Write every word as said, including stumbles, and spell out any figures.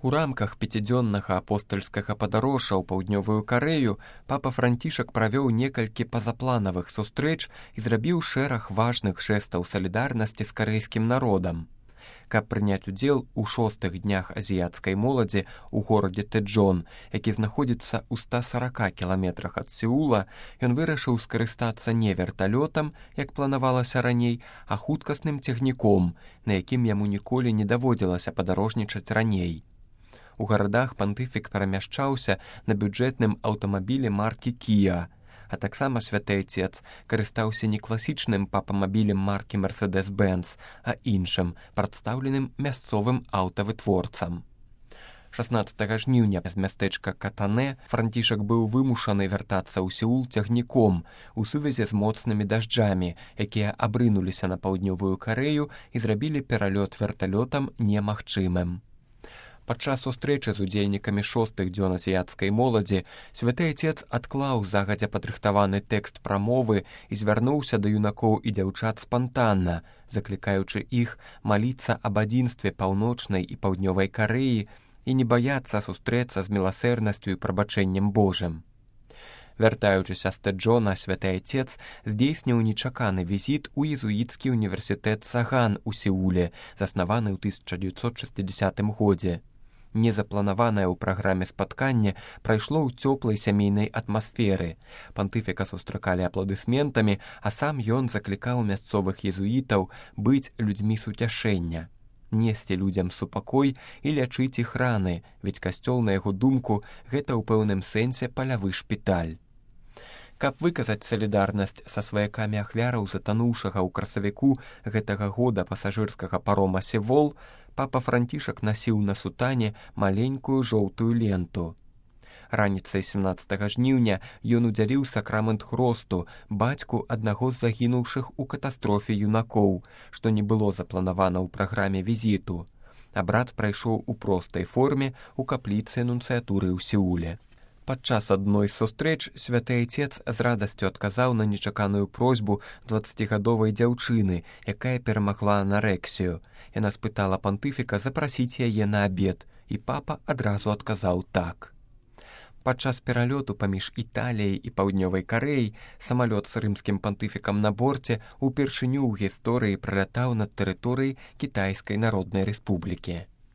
У рамках пяцідзённага апостальскага падарожжа ў паўднёвую Карэю папа Францішак правёў некалькі пазапланавых сустрэч і зрабіў шэраг важных жэстаў салідарнасці з карэйскім народам. Каб прыняць удзел у шостых днях азіяцкай моладзі ў горадзе Тэджон, які знаходзіцца ў ста сарака кіламетрах ад Сеула, ён вырашыў скарыстацца не верталётам, як планавалася раней, а хуткасным цягніком, на якім яму ніколі не даводзілася падарожнічаць раней. У гарадах пантыфік перамяшчаўся на бюджэтным аўтамабілі маркі Kia, а таксама святы айцец карыстаўся не класічным папамабілем маркі Mercedes-Benz, а іншым, прадстаўленым мясцовым аўтавытворцам. шаснаццатага жніўня з мястэчка Катанэ Францішак быў вымушаны вяртацца ў Сеул цягніком у сувязі з моцнымі дажджамі, якія абрынуліся на паўднёвую Карэю і зрабілі пералёт верталётам немагчымым. Падчас сустрэчы з удзельнікамі шостых дзён азіяцкай моладзі святы айцец адклаў загадзя падрыхтаваны тэкст прамовы і звярнуўся да юнакоў і дзяўчат спантанна, заклікаючы іх маліцца аб адзінстве паўночнай і паўднёвай Карэі і не баяцца сустрэцца з міласэрнасцю і прабачэннем Божым. Вяртаючыся з Тэджона, святы айцец здзейсніў нечаканы візіт у езуіцкі універсітэт Саган у Сеуле, заснаваны ў тысяча дзевяцьсот шэсцідзясятым годзе. Незапланаванае ў праграме спатканне прайшло ў цёплай сямейнай атмасферы. Пантыфіка сустракалі апладысментамі, а сам ён заклікаў мясцовых езуітаў быць людзьмі суцяшэння, несці людзям супакой і лячыць іх раны, ведь касцёл, на яго думку, гэта ў пэўным сэнсе палявы шпіталь. Каб выказаць салідарнасць са сваякамі ахвяраў затануўшага ў красавіку гэтага года пасажырскага парома «Севол», папа Францішак насіў на сутане маленькую жоўтую ленту. Раніцай семнаццатага жніўня ён удзяліў сакрамент хросту бацьку аднаго з загінуўшых у катастрофе юнакоў, што не было запланавана ў праграме візіту. Абрад прайшоў у простай форме ў капліцы нунцыятуры ў Сеуле. Падчас адной з сустрэч святы айцец з радасцю адказаў на нечаканую просьбу дваццацігадовай дзяўчыны, якая перамагла анарексію. Яна спытала пантыфіка запрасіць яе на абед, і папа адразу адказаў так. Падчас пералёту паміж Італіяй і паўднёвай Карэяй самалёт з рымскім пантыфікам на борце упершыню ў гісторыі пралятаў над тэрыторыяй Кітайскай Народнай Рэспублікі.